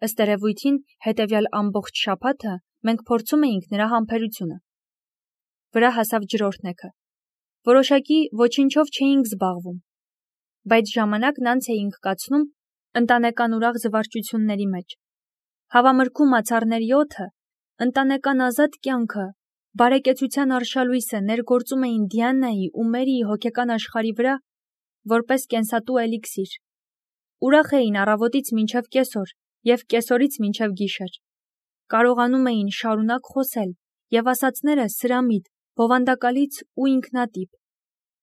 Ըստ երևույթին, հետևյալ ամբողջ շաբաթը մենք փորձում էինք նրա համբերությունը։ Վրա հասավ ջրօրհնեքը։ Որոշակի ոչինչով չէինք զբաղվում, բայց ժամանակն անց էինք կացնում ընտանեկան ուրախ զվարճությունների մեջ։ Հավամրգու մացառների օդը, ընտանեկան ազատ կյանքը, բարեկեցության արշալույսը ներգործում էին Դիանայի ու Մերիի հոգեկան աշխարհի վրա որպես կենսատու էլիքսիր։ Ուրախ էին առավոտից մինչև կեսօր և կեսօրից մինչև գիշեր։ Կարողանում էին շարունակ խոսել և ասածները սրամիտ, բովանդակալից ու ինքնատիպ։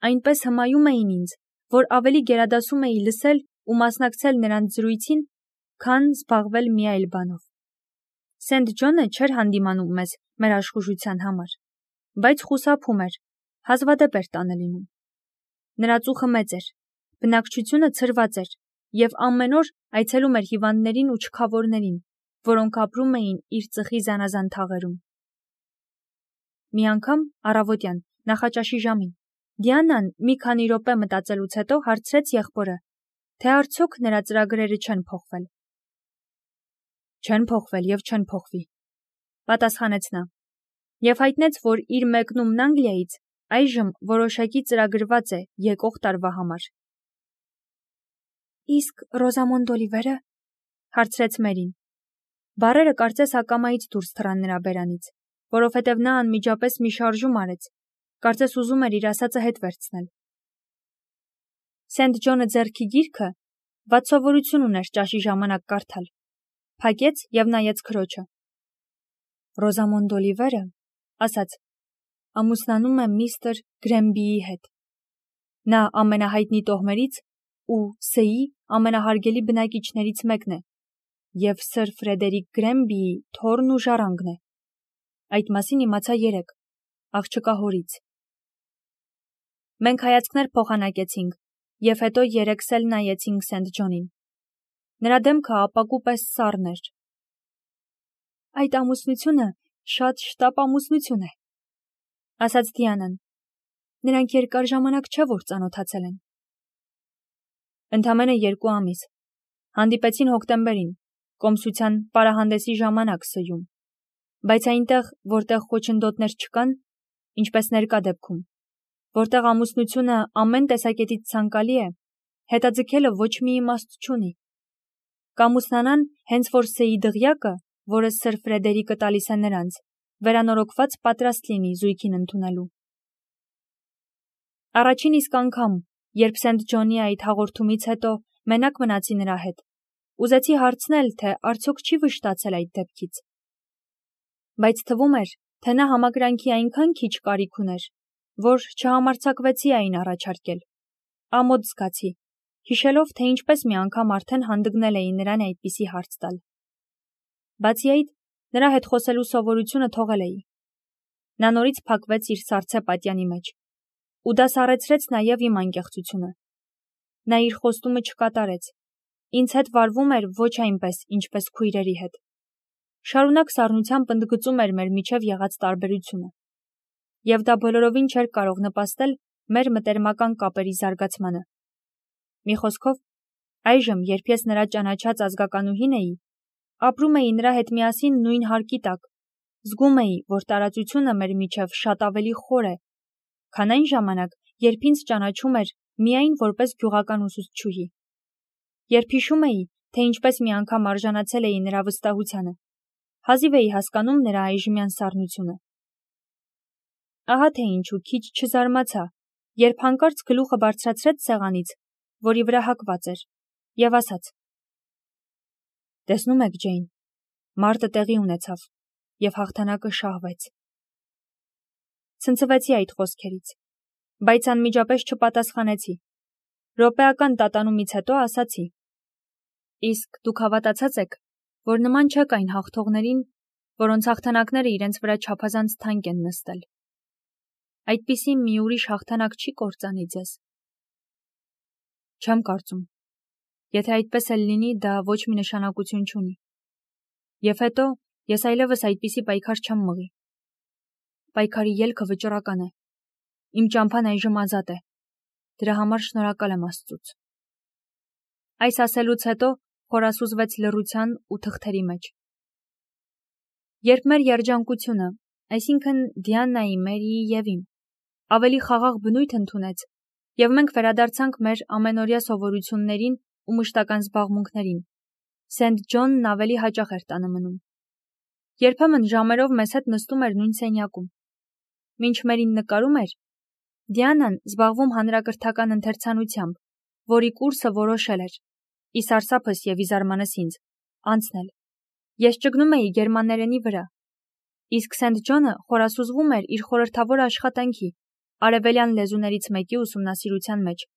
Այնպես հմայում էին ինձ, որ ավելի գերադասում էի լսել ու մասնակցել նրանց զրույցին, քան զբաղվել մի այլ բանով։ Սենթ Ջոնը չէր հանդիմանում մեզ մեր աշխուժության համար, բայց խուսափում էր, հազվադեպ էր տանը լինում։ Նրա ծուխը մեծ էր, բնակչությունը ցրված էր և ամեն օր այցելում էր հիվանդներին ու չքավորներին, որոնք ապրում էին իր ծխի զանազան թաղերում։ Մի անգամ առավոտյան նախաճաշի ժամին Դիանան մի քանի րոպե մտածելուց հետո հարցրեց եղբորը, թե արդյոք նրա ծրագրերը չեն փոխվել։ Չեն փոխվել և չեն փոխվի, պատասխանեց նա, և հայտնեց, որ իր մեկնումն Անգլիայից այժմ որոշակի ծրագրված է եկող տարվա համար։ Իսկ Ռոզամոնդ Օլիվերը, հարցրեց Մերին։ Բառերը կարծես ակամայից դուրս թռան նրա բերանից, որովհետև նա անմիջապես մի շարժում արեց, կարծես ուզում էր իր ասածը հետ վերցնել։ Սենթ Ջոնը ձեռքի գիրքը, վատ սովորություն ուներ ճաշի ժամանակ կարդալ, փակեց և նայեց քրոջը։ Ռոզամոնդ Օլիվերը, ասաց, ամուսնանում է միստր Գրեմբիի հետ։ Նա ամենահայտնի տոհմերից ու Ս-ի ամենահարգելի բնակիչներից մեկն է և սր Ֆրեդերիկ Գրեմբիի թոռն ու ժառանգն է։ Այդ մասին իմացա երեկ, աղջկա հորից։ Մենք հայացքներ փոխանակեցինք և հետո երեքս էլ նայեցինք Սենթ Ջոնին։ Նրա դեմքը ապակու պես սառն էր։ Այդ ամուսնությունը շատ շտապ ամուսնություն է, ասաց Դիանան։ Նրանք երկար ժամանակ չէ, որ ծանոթացել են։ Ընդամենը 2 ամիս։ Հանդիպեցին հոկտեմբերին, կոմսության պարահանդեսի ժամանակ Ս-ում, բայց այնտեղ, որտեղ խոչընդոտներ չկան, ինչպես ներկա դեպքում, որտեղ ամուսնությունը ամեն տեսակետից ցանկալի է, հետաձգելը ոչ մի իմաստ չունի։ Կամուսնանան, հենց որ Ս-ի դղյակը, որը սր Ֆրեդերիկը տալիս է նրանց, վերանորոգված պատրաստ լինի զույգին ընդունելու։ Առաջին իսկ անգամ, երբ Սենթ Ջոնի այդ հաղորդումից հետո մենակ մնացի նրա հետ, ուզեցի հարցնել, թե արդյոք չի վշտացել այդ դեպքից։ Բայց թվում էր, թե նա համակրանքի այնքան քիչ կարիք ուներ, որ չհամարձակվեցի այն առաջարկել։ Ամոթ զգացի, հիշելով, թե ինչպես մի անգամ արդեն հանդգնել էի նրան այդպիսի հարց տալ։ Բացի այդ, նրա հետ խոսելու սովորությունը թողել էի։ Նա նորից փակվեց իր սառցե պատյանի մեջ ու դա սառեցրեց նաև իմ անկեղծությունը։ Նա իր խոստումը չկատարեց։ Ինձ հետ վարվում էր ոչ այնպես, ինչպես քույրերի հետ։ Շարունակ սառնությամբ ընդգծում էր մեր միջև եղած տարբերությունը։ Եվ դա բոլորովին չէր կարող նպաստել մեր մտերմական կապերի զարգացմանը։ Մի խոսքով, այժմ, երբ ես նրա ճանաչած ազգականուհին էի, ապրում էի նրա հետ միասին նույն հարկի տակ, զգում էի, որ տարածությունը մեր միջև շատ ավելի խոր է, քան այն ժամանակ, երբ ինձ ճանաչում էր միայն որպես գյուղական ուսուցչուհի։ Երբ հիշում էի, թե ինչպես մի անգամ արժանացել էի նրա վստահությանը, հազիվ էի հասկանում նրա այժմյան սառնությունը։ Ահա թե ինչու քիչ չզարմացա, երբ հանկարծ գլուխը բարձրացրեց սեղանից, որի վրա հագված էր, և ասաց. Տեսնում եք, Ջեյն, մարտը տեղի ունեցավ, և հաղթանակը շահվեց։ Ցնցվեցի այդ խոսքերից, բայց անմիջապես չպատասխանեցի։ Րոպեական տատանումից հետո ասացի. Իսկ դուք հավատացած եք, որ նման չեք այն հաղթողներին, որոնց հաղթանակները իրենց վրա չափազանց թանկ են նստել։ Այդպիսի մի ուրիշ հաղթանակ չի կործանի ձեզ։ Չեմ կարծում։ Եթե այդպես էլ լինի, դա ոչ մի նշանակություն չունի։ Եվ հետո ես այլևս այդպիսի պայքար չեմ մղի։ Պայքարի ելքը վճռական է։ Իմ ճամփան այժմ ազատ է։ Դրա համար շնորհակալ եմ Աստծուց։ Այս ասելուց հետո խորասուզվեց լռության ու թղթերի մեջ։ Երբ մեր երջանկությունը, այսինքն Դիանայի, Մերիի և իմ, ավելի խաղաղ բնույթ ընդունեց, և մենք վերադարձանք մեր ամենօրյա սովորություններին ու մշտական զբաղմունքներին, Սենթ Ջոնն ավելի հաճախ էր տանը մնում։ Երբեմն ժամերով մեզ հետ նստում էր նույն սենյակում։ Մինչ մերին նկարում էր, Դիանան զբաղվում հանրակրթական ընթերցանությամբ, որի կուրսը որոշել էր, ի սարսափս և ի զարմանս ինձ, անցնել։ Ես ճգնում էի գերմաներենի վրա, իսկ Սենթ Ջոնը խորասուզվում էր իր խորհրդավոր աշխատանքի, արևելյան լեզուներից մեկի ուսումնասիրության մեջ,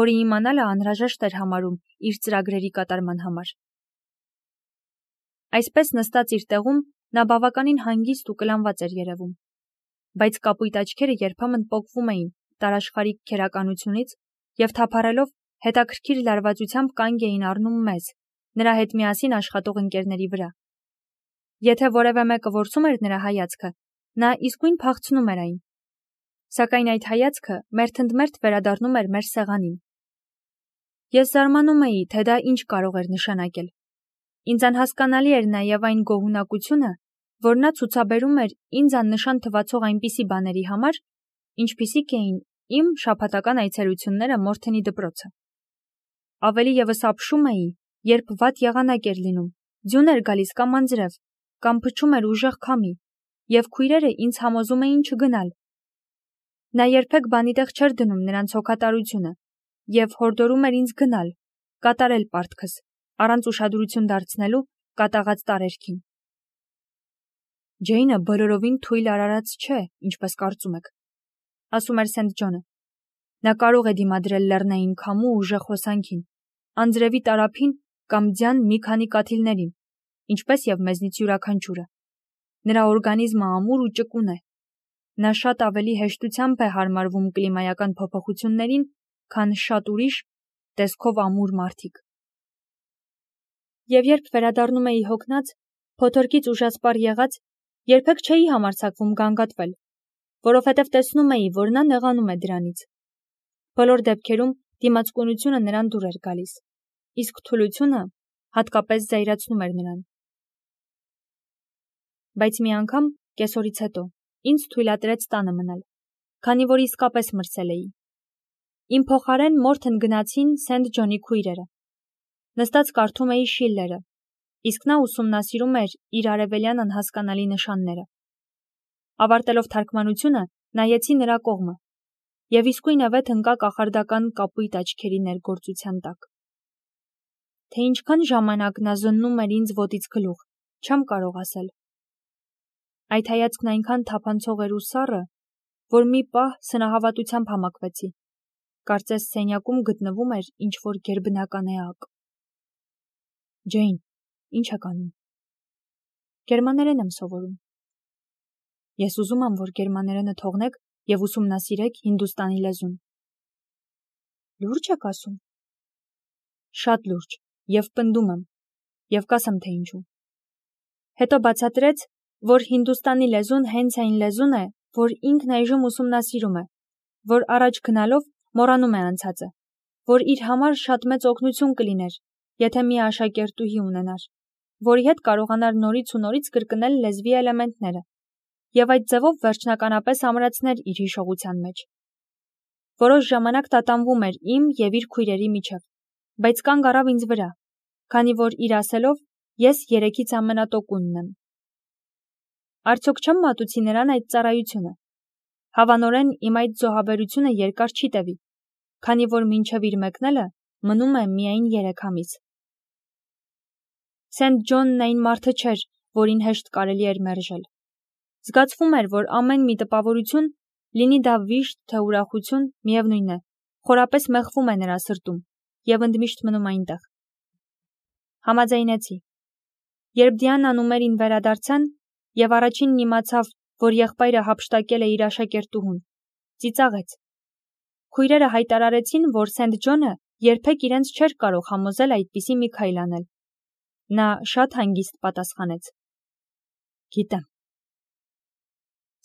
որի իմանալը անհրաժեշտ էր համարում իր ծրագրերի կատարման համար։ Այսպես նստած իր տեղում նա բավականին հանգիստ ու կլանված էր երևում, բայց կապույտ աչքերը երբեմն պոկվում էին տարաշխարհիկ քերականությունից և թափառելով հետաքրքիր լարվածությամբ կանգ էին առնում մեզ, նրա հետ միասին աշխատող ընկերների վրա։ Եթե որևէ մեկը որսում էր նրա հայացքը, նա իսկույն փախցնում էր այն, սակայն այդ հայացքը մերթընդմերթ վերադառնում էր մեր սեղանին։ Ես զարմանում էի, թե դա ինչ կարող էր նշանակել։ Ինձ անհասկանալի էր նաև այն գոհունակությունը, որ նա ցուցաբերում էր ինձ աննշան թվացող այնպիսի բաների համար, ինչպիսիք էին իմ շաբաթական այցելությունները Մորթենի դպրոցը։ Ավելի ևս ապշում էի, երբ վատ եղանակ էր լինում, ձյուն էր գալիս կամ անձրև, կամ փչում էր ուժեղ քամի, և քույրերը ինձ համոզում էին չգնալ։ Նա երբեք բանի տեղ չէր դնում նրանց հոգատարությունը և հորդորում էր ինձ գնալ, կատարել պարտքս, առանց ուշադրություն դարձնելու կատաղած տարերքին։ Ջեյնը բոլորովին թույլ արարած չէ, ինչպես կարծում եք, ասում էր Սենթ Ջոնը։ Նա կարող է դիմադրել լեռնային քամու ուժեղ հոսանքին, անձրևի տարափին կամ ձյան մի քանի կաթիլներին, ինչպես և մեզնից յուրաքանչյուրը։ Նրա օրգանիզմը ամուր ու ճկուն է։ Նա շատ ավելի հեշտությամբ է հարմարվում կլիմայական փոփոխություններին, քան շատ ուրիշ, տեսքով ամուր մարդիկ։ Եվ երբ վերադառնում էի հոգնած, փոթորկից ուժասպառ եղած, երբեք չէի համարձակվում գանգատվել, որովհետև տեսնում էի, որ նա նեղանում է դրանից։ Բոլոր դեպքերում դիմացկունությունը նրան դուր էր գալիս, իսկ թուլությունը հատկապես զայրացնում էր նրան։ Բայց մի անգամ, կեսօրից հետո, ինձ թույլատրեց տանը մնալ, քանի որ իսկապես մրսել էի։ Իմ փոխարեն Մորթեն գնացին Սենթ Ջոնի քույրերը։ Նստած կարդում էի Շիլլերը, իսկ նա ուսումնասիրում էր իր արևելյան անհասկանալի նշանները։ Ավարտելով թարգմանությունը, նայեցի նրա կողմը, և իսկույնևեթ ընկա կախարդական կապույտ աչքերի ներգործության տակ։ Թե ինչքան ժամանակ նա զննում էր ինձ ոտից գլուխ, չեմ կարող ասել։ Այդ հայացքն այնքան թափանցող էր ու սառը, որ մի պահ սնահավատությամբ համակվեցի։ Կարծես սենյակում գտնվում էր ինչ-որ գերբնական էակ։ Ջեյն, ի՞նչ եք անում։ Գերմաներեն եմ սովորում։ Ես ուզում եմ, որ գերմաներենը թողնեք և ուսումնասիրեք հինդուստանի լեզուն։ Լուրջ եք ասում։ Շատ լուրջ, և պնդում եմ, և կասեմ, թե ինչու։ Հետո բացատրեց, որ հինդուստանի լեզուն հենց այն լեզուն է, որ ինքն այժմ ուսումնասիրում է, որ առաջ գնալով մոռանում է անցածը, որ իր համար շատ մեծ օգնություն կլիներ, եթե մի աշակերտուհի ունենար, որի հետ կարողանար նորից ու նորից կրկնել լեզվի էլեմենտները, և այդ ձևով վերջնականապես ամրացներ իր հիշողության մեջ։ Որոշ ժամանակ տատանվում էր իմ և իր քույրերի միջև, բայց կանգ առավ ինձ վրա, քանի որ իր ասելով ես երեքից ամենատոկունն եմ։ Արդյոք չեմ մատուցի նրան այդ ծառայությունը։ Հավանորեն իմ այդ զոհաբերությունը երկար չի տևի, քանի որ մինչև իր մեկնելը մնում է միայն 3 ամիս։ Սենթ Ջոնն այն մարդը չէր, որին հեշտ կարելի էր մերժել։ Զգացվում էր, որ ամեն մի տպավորություն, լինի դա վիշտ, թե ուրախություն, միևնույն է, խորապես մեղվում է նրա սրտում և ընդմիշտ մնում այնտեղ։ Համաձայնեցի։ Երբ Դիանան ու Մերին վերադարձան, և առաջինն իմացավ, որ եղբայրը հափշտակել է իր աշակերտուհուն, ծիծաղեց։ Քույրերը հայտարարեցին, որ Սենթ Ջոնը երբեք իրենց չէր կարող համոզել այդպիսի մի քայլ անել։ Նա շատ հանգիստ պատասխանեց. Գիտեմ։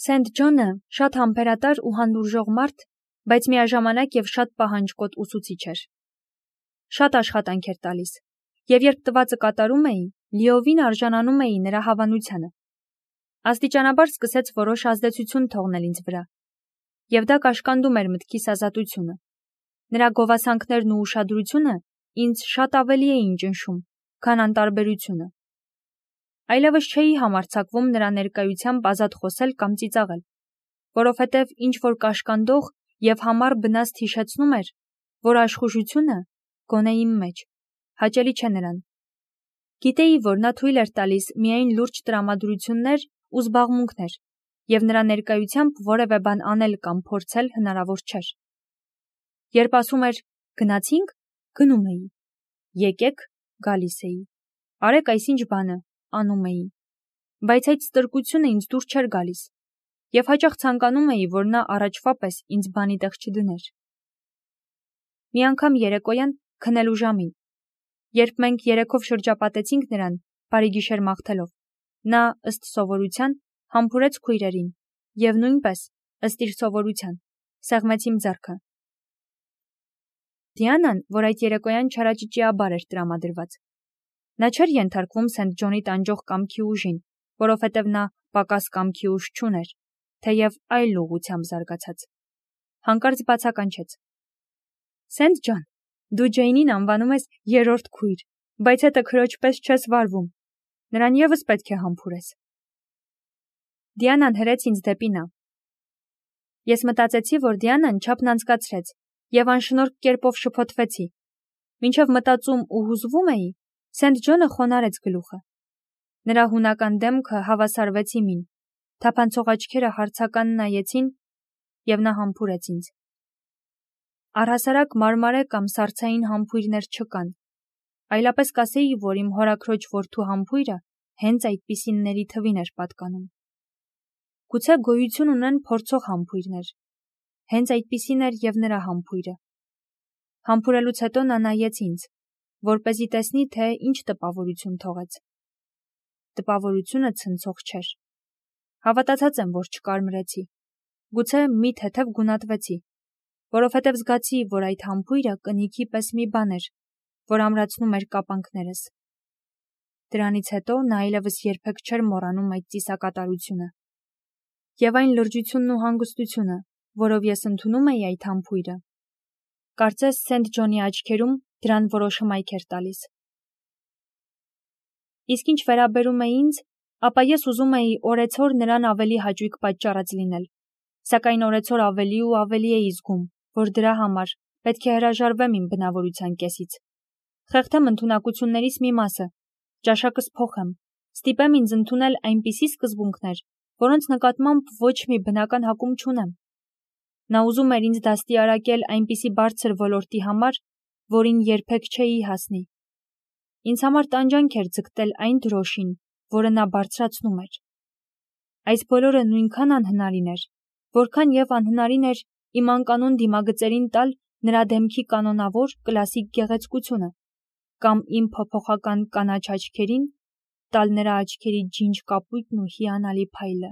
Սենթ Ջոնը շատ համբերատար ու հանդուրժող մարդ, բայց միաժամանակ և շատ պահանջկոտ ուսուցիչ էր։ Շատ աշխատանք էր տալիս, Եվ երբ տվածը կատարում էի, լիովին արժանանում էի նրա հավանությանը։ Աստիճանաբար սկսեց որոշ ազդեցություն թողնել ինձ վրա, եւ դա կաշկանդում էր մտքիս ազատությունը։ Նրա գովասանքներն ու ուշադրությունը ինձ շատ ավելի էին ճնշում, քան անտարբերությունը։ Այլևս չէի համարձակվում նրա ներկայությամբ ազատ խոսել կամ ծիծաղել, որովհետև ինչ-որ կաշկանդող եւ համառ բնաստ հիշեցնում էր, որ աշխուժությունը, գոնե իմ մեջ, հաճելի չէ նրան։ Գիտեի, որ նա թույլ էր տալիս միայն լուրջ տրամադրություններ ու զբաղմունքներ, եւ նրա ներկայությամբ որևէ բան անել կամ փորձել հնարավոր չէր։ Երբ ասում էր «Գնացինք», գնում էի, «Եկեք», գալիս էի, «Արեք այսինչ բանը», անում էի, բայց այդ ստրկությունը ինձ դուր չէր գալիս, եւ հաճախ ցանկանում էի, որ նա առաջվա պես ինձ բանի տեղ չդներ։ Մի անգամ երեկոյան քնելու ժամին, երբ մենք երեքով շրջապատեցինք նրան, բարի գիշեր մաղթելով, նա, ըստ սովորության, համբուրեց քույրերին եւ նույնպես, ըստ իր սովորության, սեղմեց իմ ձեռքը։ Դիանան, որ այդ երեկոյան չարաճճիաբար էր տրամադրված, նա չէր ենթարկվում Սենթ Ջոնի տանջող կամքի ուժին, որովհետև նա պակաս կամքի ուժ չուներ, թեև այլ ուղղությամբ զարգացած։ Հանկարծ բացականչեց. Սենթ Ջոն, դու Ջեյնին անվանում ես երրորդ քույր, բայց հետը քրոջ պես չես վարվում, նրան ևս պետք է համբուրես։ Դիանան հրեց ինձ դեպի նա։ Ես մտածեցի, որ Դիանան չափն անցկացրեց եւ անշնորհք կերպով շփոթվեցի։ Մինչև մտածում ու հուզվում էի, Սենթ Ջոնը խոնարհեց գլուխը։ Նրա հունական դեմքը հավասարվեց իմին, թափանցող աչքերը հարցական նայեցին եւ նա համբուրեց ինձ։ Առհասարակ մարմարե կամ սառցային համբույրներ չկան, այլապես կասեի, որ իմ հորաքրոջ որդու համբույրը հենց այդպիսինների թվին էր պատկանում։ Գուցե գոյություն ունեն փորձող համբույրներ, հենց այդպիսին էր եւ նրա համբույրը։ Համբուրելուց հետո նա նայեց ինձ, որպեսզի տեսնի, թե ինչ տպավորություն թողեց։ Տպավորությունը ցնցող չէր։ Հավատացած եմ, որ չկարմրեցի։ Գուցե մի թեթև գունատվեցի, որովհետև զգացի, որ այդ համբույրը կնիքի պես մի բան էր, որ ամրացնում էր կապանքներս։ Դրանից հետո նա այլևս երբեք չէր մոռանում այդ ծիսակատարությունը։ Եվ այն լրջությունն ու հանգստությունը, որով ես ընդունում էի այդ համբույրը, կարծես Սենթ Ջոնի աչքերում դրան որոշ հմայք էր տալիս։ Իսկ ինչ վերաբերում է ինձ, ապա ես ուզում էի օրեցօր նրան ավելի հաճույք պատճառած լինել, սակայն օրեցօր ավելի ու ավելի էի զգում, որ դրա համար պետք է հրաժարվեմ իմ բնավորության կեսից, խեղդեմ ընդունակություններիս մի մասը, ճաշակս փոխեմ, ստիպեմ ինձ ընդունել այնպիսի սկզբունքներ, որոնց նկատմամբ ոչ մի բնական հակում չունեմ։ Նա ուզում էր ինձ դաստիարակել այնպիսի բարձր ոլորտի համար, որին երբեք չէի հասնի։ Ինձ համար տանջանք էր ձգտել այն դրոշին, որը նա բարձրացնում էր։ Այս բոլորը նույնքան անհնարին էր, որքան եւ անհնարին էր իմ անկանոն դիմագծերին տալ նրա դեմքի կանոնավոր կլասիկ գեղեցկությունը, կամ իմ փոփոխական կանաչ աչքերին տալ նրա աչքերի ջինջ կապույտն ու հիանալի փայլը։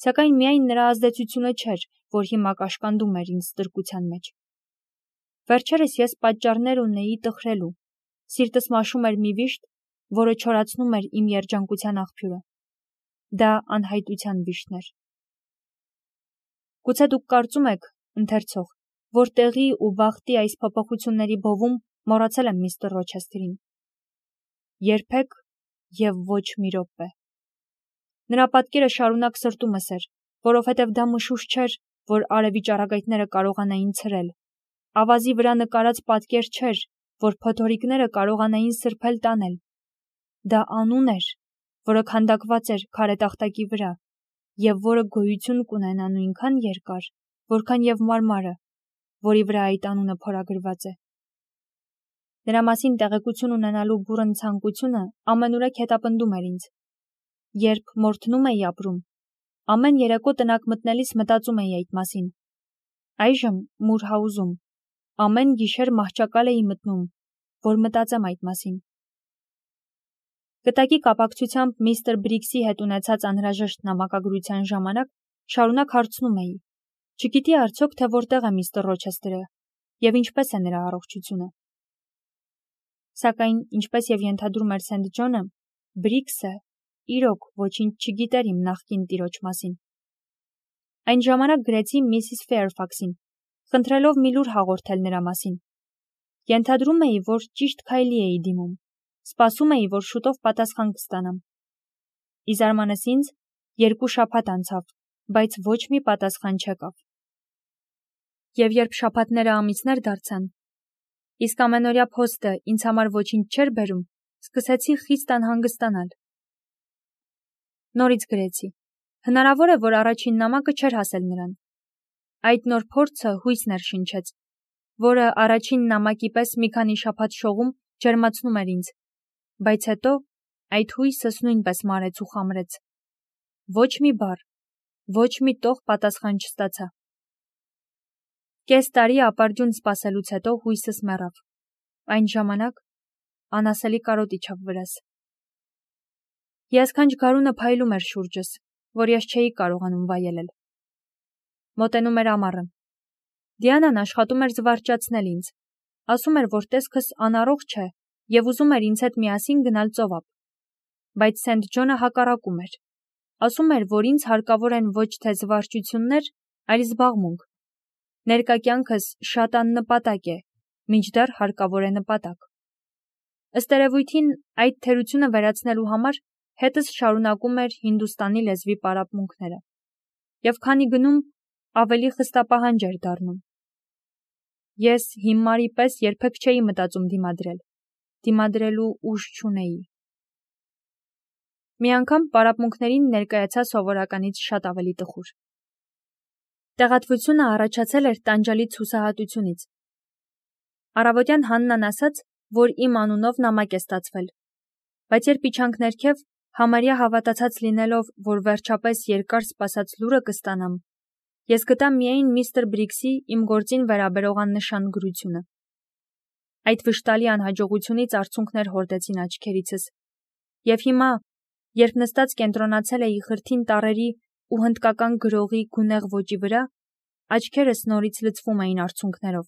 Սակայն միայն նրա ազդեցությունը չէր, որ հիմա կաշկանդում էր ինձ ստրկության մեջ։ Վերջերս ես պատճառներ ունեի տխրելու, սիրտս մաշում էր մի վիշտ, որը չորացնում էր իմ երջանկության աղբյուրը։ Դա անհայտության վիշտն էր։ Գուցե դուք կարծում եք, ընթերցող, որ տեղի ու բախտի այս փոփոխությունների բովում մոռացել եմ միստր Ռոչեսթերին։ Երբեք եւ ոչ մի րոպե։ Նրա պատկերը շարունակ սրտումս էր, որովհետև դա մշուշ չէր, որ արևի ճառագայթները կարողանային ցրել։ Ավազի վրա նկարած պատկեր չէր, որ փոթորիկները կարողանային սրբել տանել։ Դա անուն էր, որը քանդակված էր քարե տախտակի վրա, եւ որը գոյություն կունենա նույնքան երկար, որքան եւ մարմարը, որի վրա այդ անունը փորագրված է։ Նրա մասին տեղեկություն ունենալու բուռն ցանկությունը ամենուրեք հետապնդում էր ինձ։ Երբ մորթնում էի ապրում, ամեն երեկո տնակ մտնելիս մտածում էի այդ մասին։ Այժմ Մուրհաուզում ամեն գիշեր մահճակալ էի մտնում, որ մտածեմ այդ մասին։ Կտակի կապակցությամբ միստր Բրիքսի հետ ունեցած անհրաժեշտ նամակագրության ժամանակ շարունակ հարցնում էի. չգիտի արդյոք, թե որտեղ է միստր Ռոչեսթերը եւ ինչպես է նրա առողջությունը։ Սակայն, ինչպես եւ ենթադրում էր Սենթ Ջոնը, Բրիքսը իրոք ոչինչ չգիտեր իմ նախկին տիրոջ մասին։ Այն ժամանակ գրեցի Միսիս Ֆեյրֆաքսին, խնդրելով մի լուր հաղորդել նրա մասին։ Ենթադրում էի, որ ճիշտ քայլի էի դիմում, սպասում էի, որ շուտով պատասխան կստանամ։ Ի զարմանս ինձ, 2 շաբաթ անցավ, բայց ոչ մի պատասխան չեկավ։ Եվ երբ շաբաթները ամիսներ դարձան, իսկ ամենօրյա փոստը ինձ համար ոչինչ չէր բերում, սկսեցի խիստ անհանգստանալ։ Նորից գրեցի. հնարավոր է, որ առաջին նամակը չէր հասել նրան։ Այդ նոր փորձը հույս ներշնչեց, որը առաջին նամակի պես մի քանի շաբաթ շողում ջերմացնում էր ինձ, բայց հետո այդ հույսս նույնպես մարեց ու խամրեց։ Ոչ մի բառ, ոչ մի տող պատասխան չստացա։ Կես տարի ապարդյուն սպասելուց հետո հույսս մեռավ։ Այն ժամանակ անասելի կարոտ իջավ վրաս։ Հիասքանչ գարունը փայլում էր շուրջս, որ ես չէի կարողանում վայելել։ Մոտենում էր ամառը։ Դիանան աշխատում էր զվարճացնել ինձ։ Ասում էր, որ տեսքս անառողջ է եւ ուզում էր ինձ հետ միասին գնալ ծովափ։ Բայց Սենթ Ջոնը հակառակում էր։ Ասում էր, որ ինձ հարկավոր են ոչ թե զվարճություններ, այլ զբաղմունք։ Ներկա կյանքս շատ աննպատակ է, մինչդեռ հարկավոր է նպատակ։ Ըստ երևույթին, այդ թերությունը վերացնելու համար հետս շարունակում էր Հինդուստանի լեզվի պարապմունքները։ Եվ քանի գնում, ավելի խստապահանջ էր դառնում։ Ես հիմարի պես երբեք չէի մտածում դիմադրել։ Դիմադրելու ուժ չունեի։ Մի անգամ պարապմունքներին ներկայացա սովորականից շատ ավելի տխուր։ Տեղատվությունը առաջացել էր տանջալից հուսահատությունից։ Առավոտյան Հաննան ասաց, որ իմ անունով նամակ է ստացվել, բայց երբ իջանք ներքև, համարյա հավատացած լինելով, որ վերջապես երկար սպասած լուրը կստանամ, ես գտա միայն միստր Բրիքսի իմ գործին վերաբերող աննշան գրությունը։ Այդ վշտալի անհաջողությունից արցունքներ հորդեցին աչքերիցս, եւ հիմա, երբ նստած կենտրոնացել էի խրթին տառերի ու հնդկական գրողի գունեղ ոճի վրա, աչքերս նորից լցվում էին արցունքներով։